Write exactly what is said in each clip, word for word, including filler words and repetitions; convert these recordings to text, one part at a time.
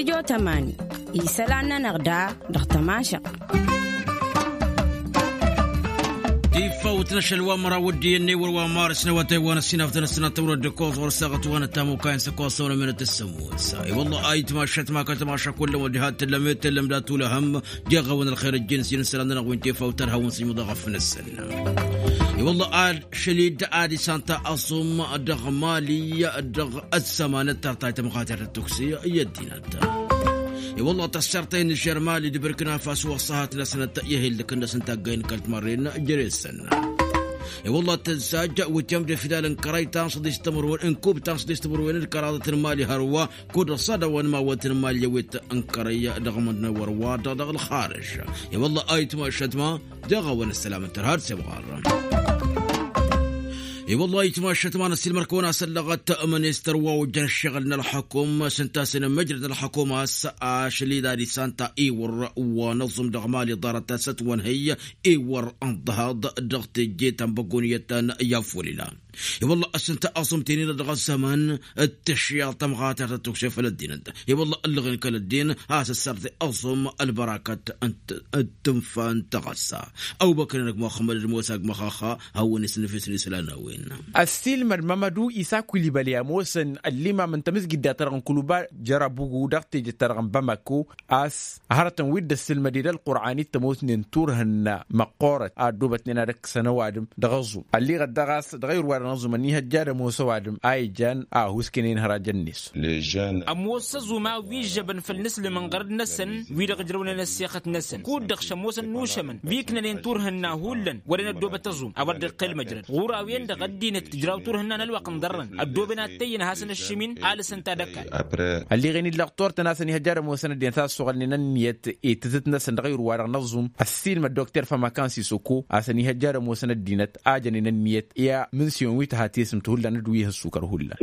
Ijotămani isălan-nănăɣ da dăɣ-tămašăɣ. Tifawt n-ašăl wa măraw dd-iyyăn ewăr wa marăs n-awătay wa n-ăssinaf d-anăssinat tăwrăd d-ăkkoẓ ɣur-saɣăt wa n-ătamukay n-săkkoẓ săwrămen d-tăssămut. I-wălla a itmašat ma kăl-tamaša kullăm wa d-iha tǝllăm i-tǝllăm dat-ulăhăm. Jeɣ-awăn ălxer ăjjin s-inǝsălan-nănăɣ wi n-tifawt ad-hawăn-sǝjmǝḍ aɣăf-năsăn. I-wălla ad-šăl-dd ad-isan ta aẓum dăɣ-mali dăɣ-ăssămanăt tartay tămɣatert d-tuksi i-ăddinăt. I-wălla tăssărtăy n-žermali d-bărkna fas wa ăṣṣăhat-năsnăt i-hil dăkăn-năsnăt taggăy n-kăl-timărren jere-săn. I-wălla tăzzaj wǝtăm d-efidal n-kărăy ta n-săḍis timărwen n-kub ta n-săḍis timărwen d-kăraḍăt n-mali hărwa kud-ăṣṣadăwăn mawăt n-mali ăwit n-kărăy dăɣ-mănăwăr wa dăɣ-dăɣ-ălxarǝž. I-wălla a itmašăt ma dăɣ-a-wa n-ăssălam n-tărha d-semɣar. I-wălla a itmašăt ma n-ăssiilmăr-kăwăn-asăllăɣăt ministăr wa ojăn ăššăɣǝl n-ălxăkum s-ǝnta a-s inǝmmǝjrăd n-ălxăkum a-s ašăl-dd ad-isan ta iwăr wa n-aẓum dăɣ-mali ḍarăt a-s ătwănhăy iwăr ănḍăhaḍ dăɣ-teje ta n-băgguniyăt ta n-yafulila. I-wălla a-s ǝnta aẓum tenina dăɣ-ăzzăman d-tǝšyaḍ tămɣatert d-tukse făll-ăddinăt. I-wălla ǝllăɣen kăl-ăddin a-s ăssărtăy aẓum ălbărakăt d-tǝnfa n-taɣăssa. Ăbubăkr n-ăgg muxămmăd d-musa ăgg măxaxa hawăn-isnǝfisăn isălan n-a-wen. Ăssiilmăd mămădu isa kulibăli ămoosăn ăllimam n-tamǝzgidda-ta-dăɣ n-kuluba jărabugu dăɣ-tejăt-ta-dăɣ n-bamako a-s hărătăn wi dd-ăssǝlmăd i-dd ălqur'an-i t-ămoosnen turhǝnna măqqoorăt a ăddoobătnen ad-ăkkăsăn ăwadǝm dăɣ-aẓum ălliɣăt daɣ a-s dăɣ-ayǝr-wa-dăɣ n-aẓum ănnihăjja ad-ămoos ăwadǝm a ijan a ăhuusken i-inhărajăn-net. Ămoos aẓum a-wa ižžăbăn făll-inǝslǝm n-iɣărăd-năsăn wi-dăɣ ǝjrăwnen ăssexăt-năsăn kud-dăɣ šămoosăn n-ušămăn wi ǝknănen turhǝnna hullan wăren ăddoobăt aẓum a-wa dd-iqqel măjrăd ɣur-a-wen-dăɣ ăddinăt tǝjraw turhǝnna n-ălwăqq n-iḍarrăn ăddooben ad-t-ăyyǝn ad-hasăn-ăššǝmin alǝsăn tadăkalt. Ălliɣen-dd lăqtor-tăn a-s ănihăjja ad-ămoosăn ăddinăt a ăssoɣălnen ănniyăt i-tǝzǝt-năsăn dăɣ-ayǝr-wa-dăɣ n-aẓum ăssiilmăd dokter fămăkan sisoko a-s ănihăjja ad-ămoosăn ăddinăt a jănen ănniyăt i-amǝnsiyăn wi tǝha tesǝmt hullan d-wi ih' ăssukăr hullan.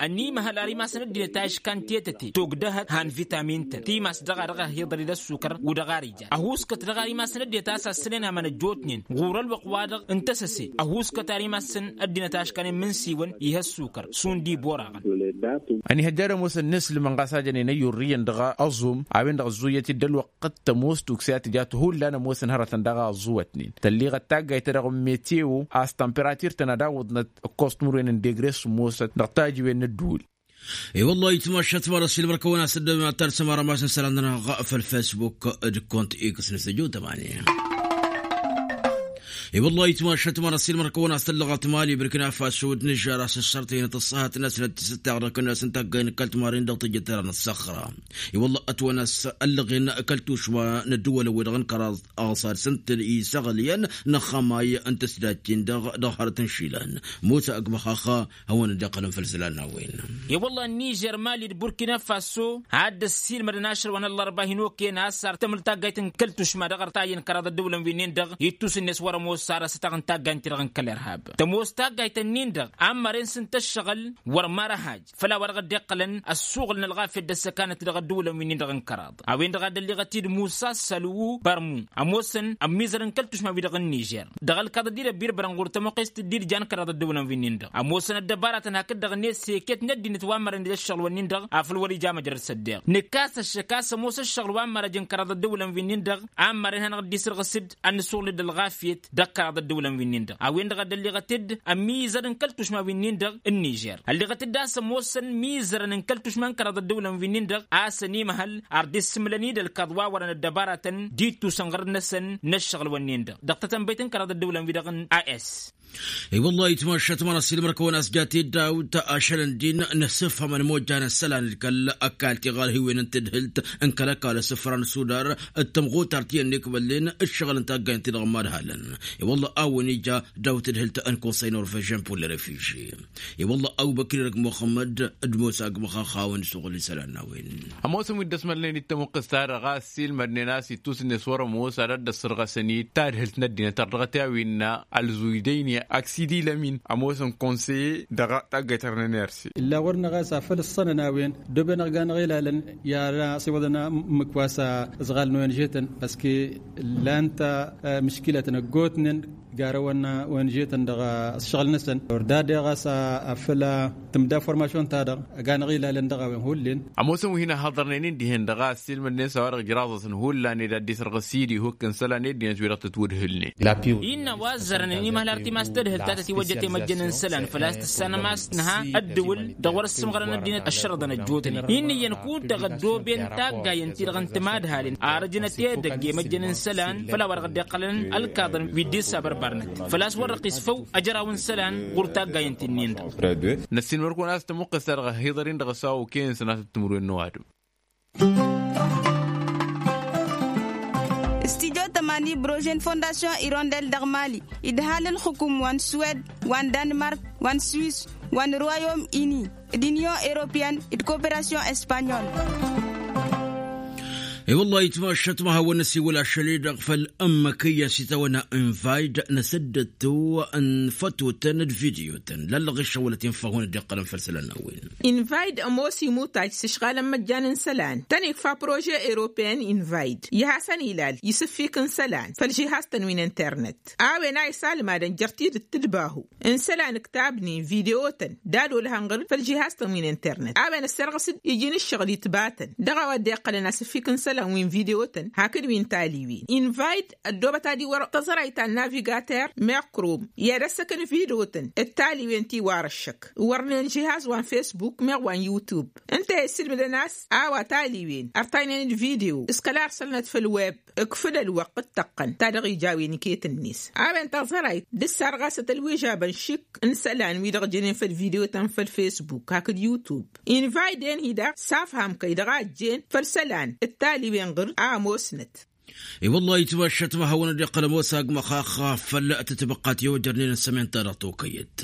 Ănimăhăl ar imasăn ăddinăt a iškan tetăte togdăhăt han vitamin-tăn timas dăɣ-a dăɣ-ăhiḍăr-i d-ăssukăr u-dăɣ ar ija ăhuuskăt dăɣ-ar imasăn ăddinăt a-s assănen amăn ăjjootnen ɣur-ălwăqq-wa-dăɣ n-tăsăse. Ăhuuskăt ar imasăn ăddinăt a iškanen imǝnsiwăn ih' ăssukăr šund iboraɣăn. Ănihăjja ad-ămoosăn n-aslǝmăn ɣas a jănen ăyyurrǝyăn dăɣ-aẓum a-wen-dăɣ ăzzuyyăt-dd ălwăqq d-tămoos tukse a tǝja-t hullan ămoosăn hărătăn daɣ a ăẓẓuwătnen tălliɣăt taggayt-ta-dăɣ n-meteo a-s tămperatir-tăn ad-awǝḍnăt ǝkkoẓ timǝrwen n-degre s-ămoosăt dăɣ-tajiwen n-ădduul. I-wăllah itmašat mara s-ilmăr-kăwăn-as ăddăwem ad-talsăm arămas n-isălan-nănăɣ făll-fesbuk d-kont x n-săju tămani. I-wăllah itmašat mara s-ilmăr-kăwăn-as tăllăɣăt mali bărkina faso d-nǝžžar a-s ăssărtăynăt ăṣṣăhat-năsnăt tisǝttaɣ dăɣ-kănnas n-taggay n-kăl-timarin dăɣ-tejăt tărăn ăṣṣăxra. I-wălla ătwănăs ăllăɣen kăl-tušma n-ăddǝwălăn-wi-dăɣ n-kăraḍ aɣsad s-ǝntǝl isăɣlǝyăn n-ăxxămay n-tǝsdajt-in-dăɣ dăɣ-hărăt n-išilan. Musa ăgg măxaxa hawăn-dd-iqqălăn făll-isălan n-a-wen. I-wălla n-nižer mali d-burkina faso ad-dd-ăssiilmădăn ašăl wa n-ăllărba hin-okăyăn a-s ar tămǝl taggayt n-kăl-tušma dăɣ-artayăn kăraḍ ăddǝwǝlăn wi-nin-dăɣ ittus-net wăr-ămoos ar ăsătaɣ n-taggayt-i-dăɣ n-kăl-irhab. Tămoos taggayt-nin-dăɣ a n-măren s-ǝnta ǝššăɣǝl wăr măra haj făll-a-wa dăɣ-dd-iqqălăn ăssuɣǝl n-ălɣafyăt d-ăssăkanăt dăɣ-ăddǝwǝlăn wi-nin-dăɣ n-kăraḍ. A-wen-dăɣ a dd-ălliɣăt-dd musa sălwu bărmu ămoosăn ămmizăr n-kăl-tušma-wi-dăɣ n-nižer dăɣ-ălkaḍ ăddinăt birbărăn ɣur-tămuqqest dd-irja n-kăraḍ ăddǝwǝlăn wi-nin-dăɣ ămoosăn ăddăbaratăn hakd-dăɣ-net s-eket n-ăddinăt wa n-mărăn ija ǝššăɣǝl-wǝnnin-dăɣ afăl wăr-ija măjrăd s-ăddeɣ. Nǝkkas ăššăk a-s ămoos ǝššăɣǝl wa n-mărăj n-kăraḍ ăddǝwǝlăn wi-nin-dăɣ a n-mărăn hanăɣ-dd-isǝrɣǝs-dd ad-nǝsuɣǝl-dd ălɣafyăt dăɣ-kăraḍ ăddǝwǝlăn wi-nin-dăɣ a-wen-dăɣ a dd-ălliɣăt-dd ămmizăr n-kăl-tušma wi-nin-dăɣ n-nižer ălliɣăt-dd a-s ămoosăn mizărăn n-kăl-tušma n-kăraḍ ăddǝwǝlăn wi-nin-dăɣ a-s ănimăhăl ar dd-issǝmlăn-dd ălkaḍ wa wărăn ăddăbaratăn d-ittus n-iɣărăd-năsăn n-ăššăɣǝl-wǝnnin-dăɣ dăɣ-tătănbăyt n-kăraḍ ăddǝwǝlăn-wi-dăɣ n-a s. I-wăllah itmašat măra s-ilmăr kăwăn-as jat-dd dawt ašăl ǝndin n-asǝfhăm ănmojjan ăssălan d-kăl-ăkall tiɣărhiwen n-tadhǝlt n-kăl-ăkall asǝfra n-sudar d-tămɣutar ti ănnikbăllen d-šăɣǝl n-taggayăn-ti-dăɣ n-imadhalăn. I-wălla a-wen ija daw-tadhǝlt n-konsăy norvežen pulli refiži. I-wălla awbăkrir ăgg muxămmăd d-musa ăgg măxaxa a-wen isuɣǝl isălan n-a-wen. Ămoosăn wi dd-ăsmălnen d-tămuqqǝst-ta-dăɣ a ăssiilmădnen a-s ittus-net wăr-ămoos ad-ăddăssărɣăsăn-dd tadhǝlt n-ăddinăt ar dăɣ-t i-a-wen alzuydăyni aksidi lămin ămoosăn konsăye dăɣ-taggayt-ta-dăɣ n-enersi. Illa ɣur-năɣ a-s afăl ǝssănăn a-wen dd-oben ăɣ-ga-năɣ ilalăn i-ad-asiwăḍăn mǝkwas ăẓɣal n-ong-tăn păske lan-t mǝškilăt n-ăggootnen. Garăwăn wăn žetăn dăɣ-ăššăɣǝl-năsăn wăr dadeɣ a-s afăl tǝmda formašyon-ta-dăɣ ăganăɣ ilalăn dăɣ-a-wen hullen. Ămoosăn wi hin-ăhhăḍărnen-in dihen dăɣ-a ăssiilmădnen s-a-wa-dăɣ ǝjraẓ-asăn hullan ed ad-dd-isrăɣ s-idihuk n-isălan ed dihen s-wi-dăɣ tătwǝdhǝlnen. Innă a-wa ăzzărăn ănimăhăl ar timast tadhǝlt ta tătiwăjjăt i-măjjăn n-isălan făl-a-s tǝssanăm a-s nǝha ăddǝwǝl dăɣ-wăr-ăssǝmɣărăn ăddinăt ăššărăḍăn ăjjootnen. Inn'-iyyăn kud-dăɣ ăddooben taggayen-ti-dăɣ n-timadhalen arăjăn ătedăgg i-măjjăn n-isălan făll-a-wa-dăɣ ăddiqqălăn ălkaḍăn wi dd-issabărbărnăt făl-a-s wăr-dăɣ isfăw ajăraw n-isălan ɣur-taggayen-ti-nin-dăɣ. Năssiinmăr-kăwăn a-s tămuqqǝst-ta-dăɣ ăhhiḍăr-in-dăɣ s-a okăyăn sănatăt timǝrwen n-ăwadǝm. Studyo tămani brožen fondasyon irondel dăɣ-mali idhal ǝlxǝkum wa n-suwed wa n-danmark wa n-suwis wa n-royom ini d-inyon europeyăn d-koperasyon espanyol. I-wăllah itmašăt ma hawăn-năsiwǝl ašăl-i-dăɣ făll-ǝmmǝk iyyăn s-itawănna invayǝd n-asăddăt-tu n-fătotăn d-vidyotăn lăllăɣ iššăwălăt infa hawăn-dd-iqqălăn făll-isălan n-a-wen. Invayǝd ămoos imutaj s-ǝšɣalăn măjjan n-isălan tăn-ikfa prože europeyăn invayǝd i-hasăn-ilal isǝffik n-isălan făll-žihaz-tăn wi n-internet a-wen a isalmadăn jer-tidǝt tǝdbahu n-isălan ǝktabnen vidyotăn d-ad-olăhăn ɣǝr-dd făll-žihaz-tăn wi n-internet a-wen ăssărɣǝs-dd iji n-ǝššăɣǝl itbatăn dăɣ-a-wa dd-iqqălăn asǝffik n-isălan wi n-vidyotăn hakd wi n-taliwen invayǝd ăddoobăt ad-iwwăr tăẓrayt ta n-navigater meɣ krom i-ad-ăssăkăn vidyotăn d-taliwen ti warăššăk wărnen žihaz wa n-fesbuk meɣ wa n-yutub ǝnta a issǝlmǝdăn a-s a-wa taliwen ărtaynen d-vidyo s-kăla ărsălnăt făll-web. Ǝkfǝd ălwăqq d-tăqqăn ta dăɣ-ija a-wen iket-net a-wen taẓărayt d-ǝssarɣasăt ălwižabăn šik n-isălan wi-dăɣ jănen făll-vidyotăn făll-fesbuk hakd yutub invayden-hi-dăɣ s-afham kăy-dăɣ a ăjjeen făll-isălan d-taliwen ɣǝr a ămoosnăt. I-wăllah itmašăt ma hawăn-dd-iqqăl ămoos agmăx axxaf făll-tǝtbăqqa ti ojărnen n-sămen-ta-dăɣ tokăyăt.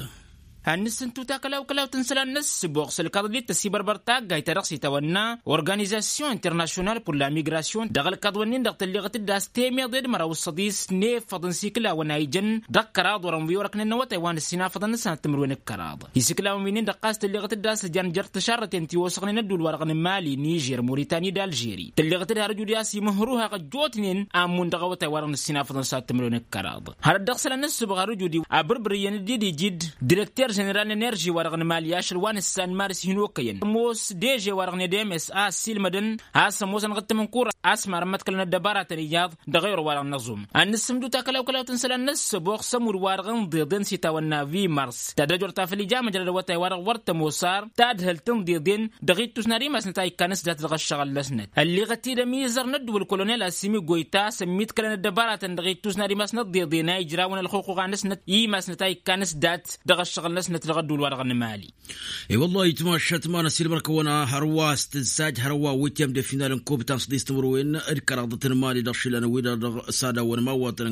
Ad-nǝssǝntu takălaw-kălawt n-isălan n-ăssǝboɣ s-ălkaḍ dd-tăsibărbăr taggayt ta dăɣ-s itawănna organizasyon international pour la migrasyon dăɣ-ălkaḍ-wǝnnin-dăɣ tălleɣăt-dd a-s temeḍe d-măraw d-săḍis n-efăḍ n-isikǝlawăn a ijăn dăɣ-kăraḍ wăren wi orăknen n-awătay wa n-ăssinafăḍăn n-sănat timǝrwen d-kăraḍ. Isikǝlawăn wi-nin-dăɣ ɣas tălleɣăt-dd a-s ǝjan jer-tǝšarrăten ti osăɣnen ădduul-wa-dăɣ n-mali nižer muritani d-alžeri tălleɣăt-dd har ăjud i-a-s imǝhrǝw haɣ ăjjootnen a ǝmmun dăɣ-awătay-wa-dăɣ n-ăssinafăḍăn s-ad-timǝrwen d-kăraḍ. Hărăt dăɣ-isălan n-ǝssǝbɣar ǝjud-i abǝrbǝr iyyăn dd-iji-dd direkter ženeral n-enerži-wa-dăɣ n-mali ašăl wa n-ǝssan maris hin-okăyăn ămoos deže-wa-dăɣ n-edms a ăssiilmădăn a-s ămoosăn ɣǝttǝmǝnkura a-s marăn măḍkălăn ăddăbaratăn iyyăḍ dăɣ-ewăr-wa-dăɣ n-aẓum. Ad-nǝssǝmdǝw takălawkălawt n-isălan n-ăssăboɣ s-ămudd-wa-dăɣ ǝnḍeḍen s-itawănna vi mars ta d-ăjor ta făl ija măjrăd awătay-wa-dăɣ wăr tămoos ar tadhǝlt ǝnḍeḍen dăɣ-ittus n-ad-imasnăt a ikkan s-dat dăɣ-ăššăɣǝl-năsnăt ălleɣăt-dd ămizăr n-ăddǝwǝl kolonel asimi goyta s-ămmiḍkălăn ăddăbaratăn dăɣ-ittus n-ad-imasnăt ăḍḍeḍen a ijrawăn ălxuxuɣa-năsnăt i-imasnăt a ikkan s-dat dăɣ-ăššăɣǝl-năsnăt dăɣ-ăddǝwǝl-wa-dăɣ n-mali. I-wăllah itmašăt ma n-ăsilmăr-kăwăn a hărwa s-tǝzzaj hărwa witiyăm de final n-kubta n-săḍis timǝrwen d-kăraḍăt n-mali dăɣ-išilan wi-dăɣ s-ad-awăn imawwatăn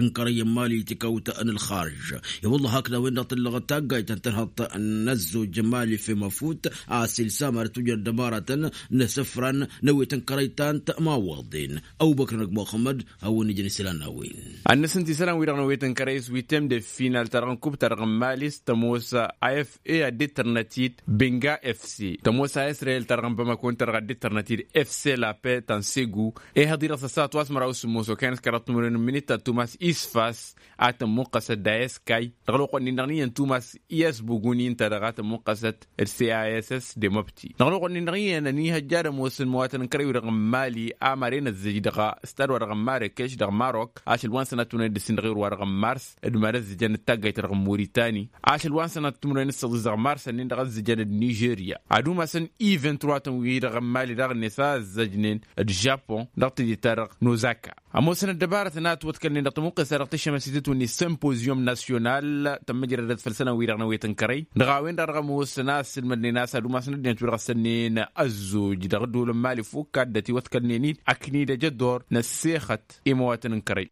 n-kărăy n-mali tikawt n-ălxarj. I-wăllah hakd a-wen-dăɣ tǝllăɣăt taggayt ta n-tărhăḍt n-ăzzoj mali femăfut a-s ilsam ad-tujrăd dăbaratăn n-asǝfran n-awet n-kărăy ta n-timawwaḍen. Ăbubăkr n-ăgg muxămmăd hawăn-ijăn isălan n-a-wen. Ad-nǝsǝnt isălan-wi-dăɣ n-awet n-kărăy s-witiyăm de final ta dăɣ-n kubta dăɣ-n mali s-tămoos a f a ad-dd-tărnăt-dd benga fc tămoos a israel ta dăɣ-n bamako ǝnta-dăɣ ad-dd-tărnăt-dd fc lape ta n-segu. Ehăḍ-i-dăɣ s-ăssaɣăt wa s-măraw s-sǝmmos okăyăn s-kăraḍ timǝrwen n-minit ta tumas isfas a tămmuqqăsăt d-ayeskay dăɣ-ălwăqq-nin-dăɣ n-iyyăn tumas i-asbugun-i ǝnta-dăɣ a tămmuqqăsăt d-cass de măbti dăɣ-ălwăqq-nin-dăɣ n-iyyăn ănihăjja ad-ămoosăn imăwatăn n-kărăy-wi-dăɣ n-mali a maren ăzzăj dăɣ-stad-wa-dăɣ n-marekeš dăɣ-marok ašăl wa n-sănat tunăyăt dăr-sin dăɣ-ewăr-wa-dăɣ n-mars d-iman ăzzăjăn d-taggayt-ta-dăɣ n-muritani ašăl wa n-sănat timǝrwen d-săḍis dăɣ-mars ănnin-dăɣ ăzzăjăn d-nižerya ad-umasăn i-vingt-trois-tăn wi-dăɣ n-mali daɣ-net a ăzzăjnen d-žapun dăɣ-tidit-ta-dăɣ n-ozaka. Ămoosăn ăddăbarătăn a ătwăḍkălnen dăɣ-tamǝqqes-ta-dăɣ tǝššămăsităt-wi n-simpozyum nasyonal tămmăjrădăt făll-isălan-wi-dăɣ n-awet n-kărăy dăɣ-a-wen-dăɣ dăɣ-ămoosăn a ăssiilmădnen a-s ad-umasăn ăddinăt wi-dăɣ ăssănnen ăzzoj dăɣ-ădduul n-mali fukk a dd-ătiwăḍkălnen-dd ăknidăj ăddor n-ăssexăt i-imăwatăn n-kărăy.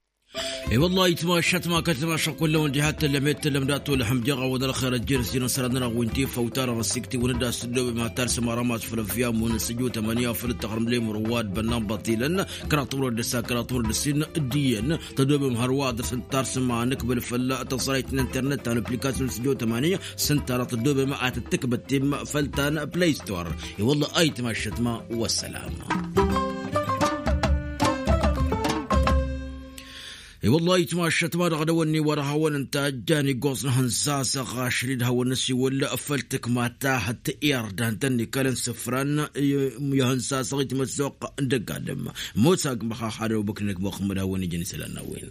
I-wăllah itmašăt ma kăl-timašăk kull-awăn diha t-tǝllăm i-t-tǝllăm dat-olăhăm jeɣ-awăd ălxer ăjjeen ăssinăsăr ad-nănăɣ wi n-tifăw-ta-dăɣ ăssiktǝwăn-dd a-s tǝddobem ad-talsăm arămas făll-ăfyamun n-sǝjju tămănǝya făll-ǝttăxrǝm lemur wa d-bănnan băṭilăn kăraḍ timǝrwen d-ǝssa kăraḍ timǝrwen d-ǝssin d-iyyăn tăddobem hărwa ad-dăr-săn tarsǝm a nǝkbǝl făll-tăẓrayt n-internet ta n-application n-sǝjjo tămaniya s-ǝnta-dăɣ tăddobem ad-tǝkbăt timm făll-ta n-play store. I-wălla ayǝtma ăššătma. Wăssălam. I-wălla itmašăt ma dăɣ-dăwănni wa dăɣ-hawăn-ǝnta ăjjan iggoẓ n-ahǝnzazăɣ ašăl-i d-hawăn-năsiwăl făll-tǝkma ta hăttăr i-ărdan tăn-ikălăn sǝfran i-ahǝnzazăɣ itmăssoq n-dăgg-adǝm. Mosag măxaxad obăknăk măxmăd hawăn-ijăn isălan n-a-wen.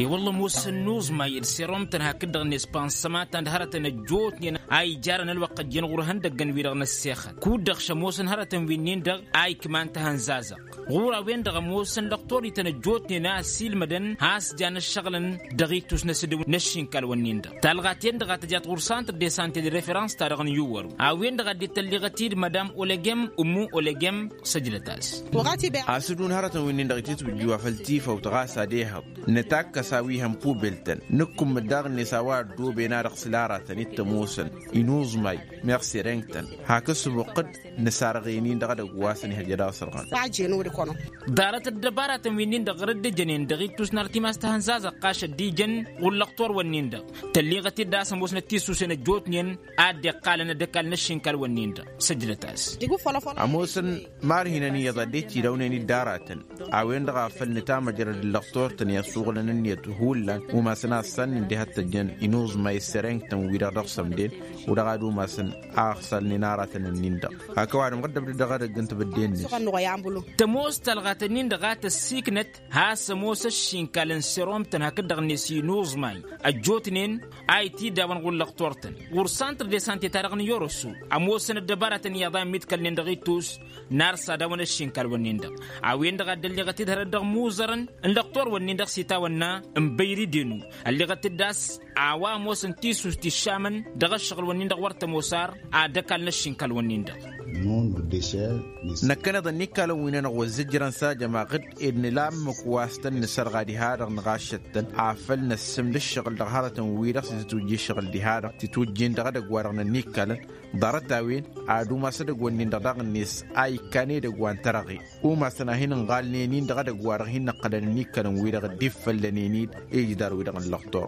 I-wălla ămoosăn n-uẓmay d-seromtăn hakd-dăɣ n-espansăma ta n-hărătăn ăjjootnen a ijarăn ălwăqq ăjjeen ɣur-ihăndăggăn-wi-dăɣ n-ăssexăt kud-dăɣ šămoosăn hărătăn wi-nin-dăɣ a ikman tahănzazăɣt ɣur-a-wen-dăɣ ămoosăn lăqtor-ităn ăjjootnen a ăssiilmădăn has-jan ăššăɣǝlăn dăɣ-itus n-asǝdǝw n-ăššinkal-wǝnnin-dăɣ talɣat-en-dăɣ a tăjat ɣur-santr de sante d-referans-ta-dăɣ n-iwwăru a-wen-dăɣ a dd-tălliɣăt-dd madam olegem ummu olegem. Săjdăt-as. Asǝdǝw n-hărătăn wi-nin-dăɣ itǝtwǝjjǝw afăl tifăwt ɣas ad-ehăḍ nǝtakkăs a-wi hăn pubel-tăn nǝkkummǝd daɣ-net a-wa ăddooben-a-dăɣ s-ila aratăn-dd tămoosăn inuẓmay meɣ sereng-tăn hak ǝssǝbuqqǝd nǝsarɣen-in-dăɣ edăgg wa s-ănihăjja daɣ sărɣan. Ḍarăt ăddăbaratăn wi-nin-dăɣ ɣărăt d-ǝjănen dăɣ-ittus n-artimas tahănzazăɣt ɣas ăddijăn ɣur-lăqtor-wǝnnin-dăɣ tălliɣăt-dd a-s ămoosnăt tisusen ăjjootnen a dd-iqqalăn ad-ăkall n-ăššinkal-wǝnnin-dăɣ. Săjdăt-as. Ămoosăn ma ărhinăn iyyăḍ a dd-etidawnăyăn-dd aratăn a-wen-dăɣ a făl nǝtamăjrăd ǝllăɣ tortăn i-ăssuɣǝlăn ǝnniyăt hullan umasăn a ăssannen diha t-ăjjăn inuẓmay s-sereng-tăn-wi-dăɣ dăɣ-sămden. Wăr-dăɣ ad-umasăn a ăɣsalnen aratăn-ǝnnin-dăɣ hak ăwadǝm ɣǝddăbdăd dăɣ-edăgg n-tibǝdde-net. Tămoos talɣat-ǝnnin-dăɣ a tăssiiknăt has-ămoos ăššinkal n-seromtăn hakd-dăɣ-net inuẓmay ăjjootnen a itidawăn ɣur-lăqtor-tăn ɣur-santr de sante-ta-dăɣ n-iyorăsu. Ămoosăn ăddăbaratăn iyyăḍ a ămmiḍkălnen dăɣ-ittus n-ar s-ad-awăn ăššinkal-wǝnnin-dăɣ a-wen-dăɣ a dd-ălliɣăt-dd hărăt dăɣ-imuẓărăn n-lăqtor-wǝnnin-dăɣ s-itawănna n-băyri denu. Ălliɣăt-dd a-s a-wa ămoosăn tisušt iššamăn dăɣ-ăššăɣǝl-wǝnnin-dăɣ wăr tămoos ar ad-ăkall n-ăššinkal-wǝnnin-dăɣ. Năkkăneḍ ănnikkalăn wi-nănăɣ wăr zǝjrăn s-ajămaɣ-dd ed nǝla ǝmmǝk wa s-tăn-nǝsărɣa diha-dăɣ nǝɣašăt-tăn afăl năssǝmd ǝššăɣǝl dăɣ-hărătăn-wi-dăɣ s-tǝtwǝjji ǝššăɣǝl diha-dăɣ tǝtwǝjji-in dăɣ-edăgg-wa-dăɣ n-ănnikkalăn. Ḍarăt-a-wen ad-umas edăgg-wǝnnin-dăɣ daɣ-net a ikkan edăgg wa n-tărăɣe umasăn a hin-ǝnɣalnen-in dăɣ-edăgg-wa-dăɣ hin-năqqălăn ănnikkalăn-wi-dăɣ dd-iffăllănen-dd. Ijidar-wi-dăɣ n-lăqtor.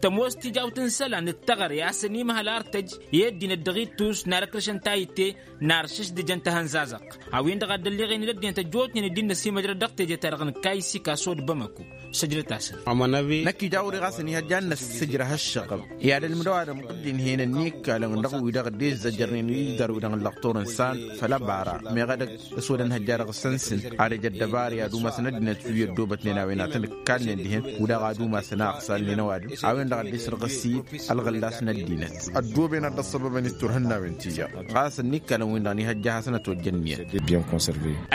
Tămoos tijawt n-isălan d-teɣăre a-s ănimăhăl ar tăj i-ăddinăt dăɣ-ittus n-ad-ăkrǝšăn tayǝtte n-aršǝšdǝjăn tahănzazăɣt. A-wen-dăɣ a dd-ălliɣen-dd ăddinăt ăjjootnen dd-innăsimăjrăd dăɣ-teje-ta-dăɣ n-kayisika sod bamăko. Săjdăt-asăn. Năkk ija a wăr-iɣasăn ihăjja ad-năssǝjrăh ăššăɣǝb i-ad-ălmǝdăw ad-ămɣǝddǝnhen ănnikkalăn dăɣ-wi-dăɣ dd-izzăjărnen ijidar-wi-dăɣ n-lăqtor n-san făll-ăbara meɣ edăgg s-wăr-ănhăjja dăɣ-săn-săn ad-ăj ăddăbari ad-umasăn ăddinăt wi ăddoobătnen a-wen ad-tăn-ǝkkalnen dihen. Wăr-dăɣ ad-umasăn a ăɣsalnen ăwadǝm a-wen-dăɣ a dd-isărɣǝs-i ălɣǝllas n-ăddinăt. Ăddooben ad-dd-ăṣṣăbăbăn itturhǝnnawen tiyyăḍ ɣas ănnikkalăn-win-dăɣ n-ihăjja hasăn-ătwăjjăn iyyăt.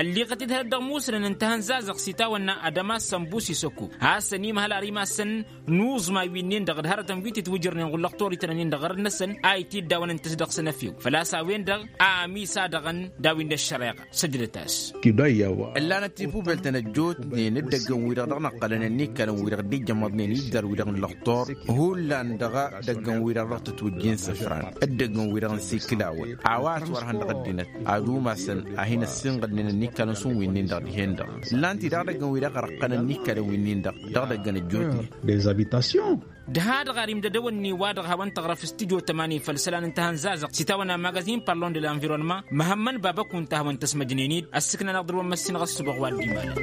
Ălliɣăt-dd hărăt dăɣ-musǝlăn n-tahănzazăɣt s-itawănna ad-ămass ănbus isăko has-ănimăhăl ar imassăn n-uẓmay wi-nin-dăɣ d-hărătăn wi tǝtwǝjrănen ɣur-lăqtor-itănăn-in-dăɣ ɣărăt-năsăn a itiddawăn ǝnta-s dăɣ-săn efew făl-a-s a-wen-dăɣ a ămiss-a-dăɣ ănn daw-in d-ăššăreɣa. Săjdăt-as. Ǝllanăt tipubeltăn ăjjootnen d-idăggăn-wi-dăɣ dăɣ-năqqălăn ănnikkalăn-wi-dăɣ dd-ijjămăḍnen iddar-wi-dăɣ n-lăqtor hullan dăɣ-idăggăn-wi-dăɣ dăɣ-tǝtwǝjjin sǝfran d-idăggăn-wi-dăɣ n-sikǝlawăn a-wa ătwărhăn dăɣ-ăddinăt ad-umasăn a hin-ăssinɣălnen ănnikkalăn šund wi-nin-dăɣ dihen-dăɣ. Ǝllan-t-i daɣ idăggăn-wi-dăɣ ărăqqăn ănnikkalăn wi-nin-dăɣ dăɣ-idăggăn ăjjootnen. D-ha-dăɣ ar imdădăwănni-wa-dăɣ hawăn-tăɣrăf s-tijo tămani făll-isălan n-tahănzazăɣt s-itawănna magazin parlon de l'environnement măhămmăn baba kunta hawăn-tăsmăjnen-dd ăssiiknăn aḍrǝwăn măssinăɣ ăssubăɣ wa dd-imalăn.